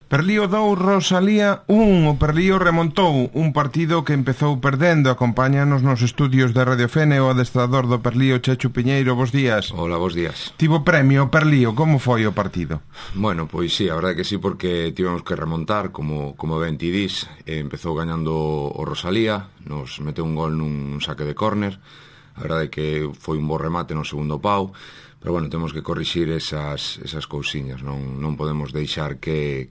Perlío 2, Rosalía 1. O Perlío remontou un partido que empezou perdendo. Acompáñanos nos estudios de Radio Fene o adestrador do Perlío, Chechu Piñeiro. Bos días. Hola, bos días. Tivo premio o Perlío, como foi o partido? Bueno, pois sí, a verdade que sí, porque tivemos que remontar, como ben ti dis. Empezou gañando o Rosalía, nos meteu un gol nun saque de córner. A verdade que foi un bo remate no segundo pau. Pero bueno, temos que corrixir esas cousiñas, non podemos deixar que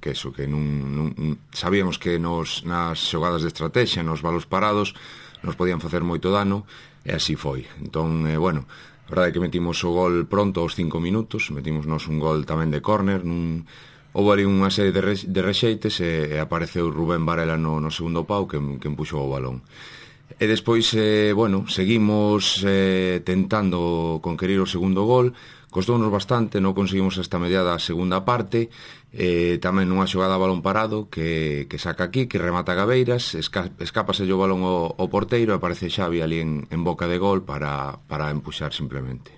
sabíamos que nas xogadas de estrategia, nos balos parados, nos podían facer moito dano, e así foi. Entón, bueno, a verdade é que metimos o gol pronto aos 5 minutos, metimosnos un gol tamén de córner, houve ali unha serie de rexeites e apareceu Rubén Varela no segundo pau que empuxou o balón. E despois, bueno, seguimos tentando conquerir o segundo gol. Costounos bastante, non conseguimos esta mediada a segunda parte. Tamén nunha xogada a balón parado que saca aquí, que remata Gabeiras, escápase o balón ao porteiro e aparece Xavi ali en boca de gol para empuxar simplemente.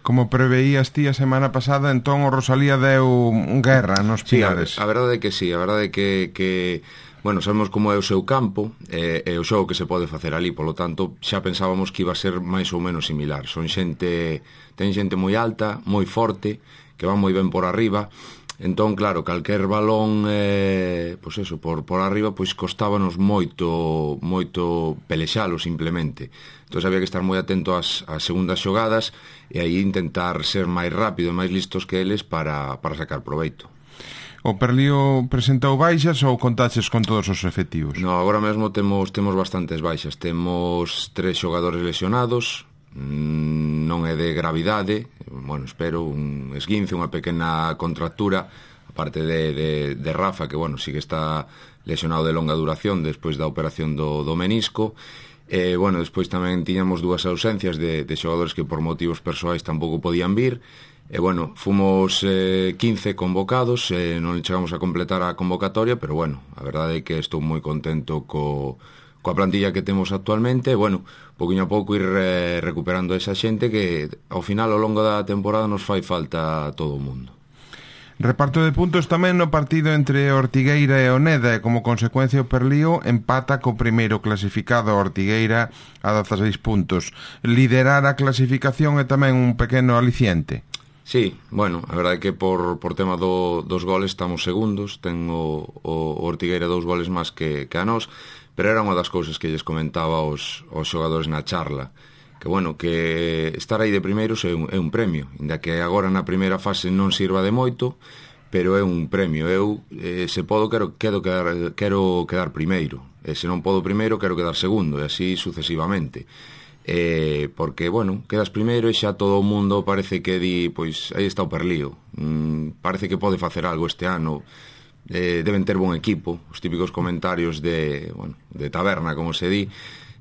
Como preveías ti a semana pasada, entón o Rosalía deu guerra nos Pilares. Sí, a verdade é que sí, a verdade é que bueno, sabemos como é o seu campo e o xogo que se pode facer ali, polo tanto, xa pensábamos que iba a ser máis ou menos similar. Ten xente moi alta, moi forte, que va moi ben por arriba. Entón, claro, calquer balón pois eso, por arriba, pois costábanos moito pelexalo simplemente. Entón había que estar moi atento ás segundas xogadas e aí intentar ser máis rápido e máis listos que eles para sacar proveito. O Perlío presentou baixas ou contaches con todos os efectivos? No, agora mesmo temos bastantes baixas. Temos 3 xogadores lesionados, non é de gravidade, bueno, espero un esguince, unha pequena contractura, aparte de Rafa, que, bueno, sí que está lesionado de longa duración despois da operación do menisco. Bueno, despois tamén tiñamos 2 ausencias de xogadores que por motivos persoais tampouco podían vir. E, bueno, fomos 15 convocados, non chegamos a completar a convocatoria, pero, bueno, a verdade é que estou moi contento coa plantilla que temos actualmente. Bueno, pouquinho a pouco ir recuperando esa xente que, ao final, ao longo da temporada, nos fai falta a todo o mundo. Reparto de puntos tamén no partido entre Ortigueira e Oneda e como consecuencia o Perlío empata co primeiro clasificado Ortigueira a 16 puntos. Liderar a clasificación é tamén un pequeno aliciente. Sí, bueno, a verdade é que por tema dos goles estamos segundos, ten o Ortigueira 2 goles máis que a nós, pero era unha das cousas que lles comentaba aos xogadores na charla, que, bueno, que estar aí de primeiros é un premio, inda que agora na primeira fase non sirva de moito, pero é un premio. Eu, se podo, quero quedar primeiro, e se non podo primeiro, quero quedar segundo, e así sucesivamente. Porque, bueno, quedas primeiro e xa todo o mundo parece que di, pois, aí está o Perlío, parece que pode facer algo este ano, deben ter bon equipo, os típicos comentarios de taberna, como se di.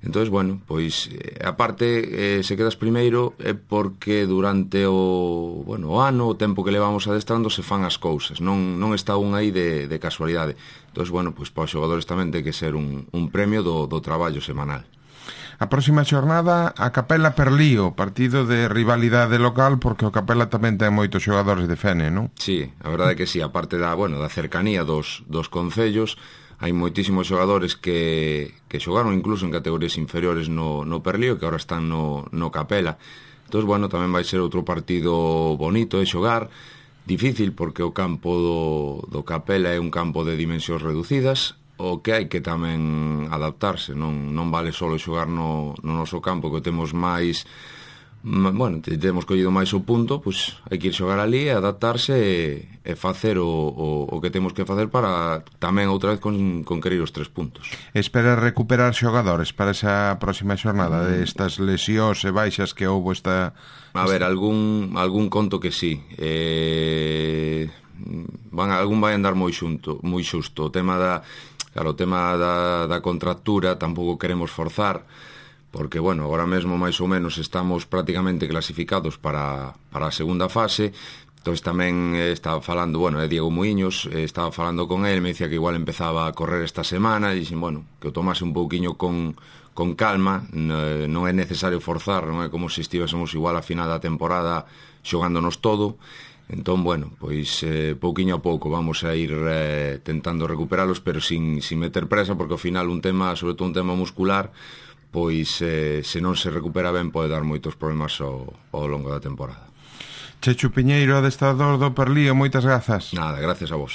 Entón, bueno, pois, aparte, se quedas primeiro é porque durante o ano, o tempo que levamos adestrando, se fan as cousas, non está un aí de casualidade. Entón, bueno, pois, para os xogadores tamén ten que ser un premio do traballo semanal. A próxima xornada a Capela Perlío, partido de rivalidade local, porque o Capela tamén ten moitos xogadores de Fene, non? Sí, a verdade é que sí, aparte da cercanía dos concellos, hai moitísimos xogadores que xogaron incluso en categorías inferiores no Perlío, que agora están no Capela. Entón, bueno, tamén vai ser outro partido bonito de xogar, difícil porque o campo do Capela é un campo de dimensións reducidas, o que hai que tamén adaptarse, non vale só xogar no noso campo, que temos máis, bueno, temos collido máis o punto, pois hai que ir xogar ali, adaptarse e facer o que temos que facer para tamén outra vez conquerir os 3 puntos. Espera recuperar xogadores para esa próxima xornada destas lesións e baixas que houbo esta... A ver, algún conto que sí, algún vai andar moi xusto. O tema da contractura tampouco queremos forzar, porque, bueno, agora mesmo máis ou menos estamos prácticamente clasificados para a segunda fase. Entón tamén estaba falando, bueno, Diego Muiños, estaba falando con él, me dicía que igual empezaba a correr esta semana, e dixen, bueno, que o tomase un pouquiño con calma, non é necesario forzar, non é como se estivésemos igual a final da temporada xogándonos todo. Entón, bueno, pois pouquiño a pouco vamos a ir tentando recuperalos, pero sin meter presa, porque ao final un tema, sobre todo un tema muscular, pois se non se recupera ben pode dar moitos problemas ao longo da temporada. Chechu Piñeiro, adestrador do Perlío, moitas grazas. Nada, gracias a vos.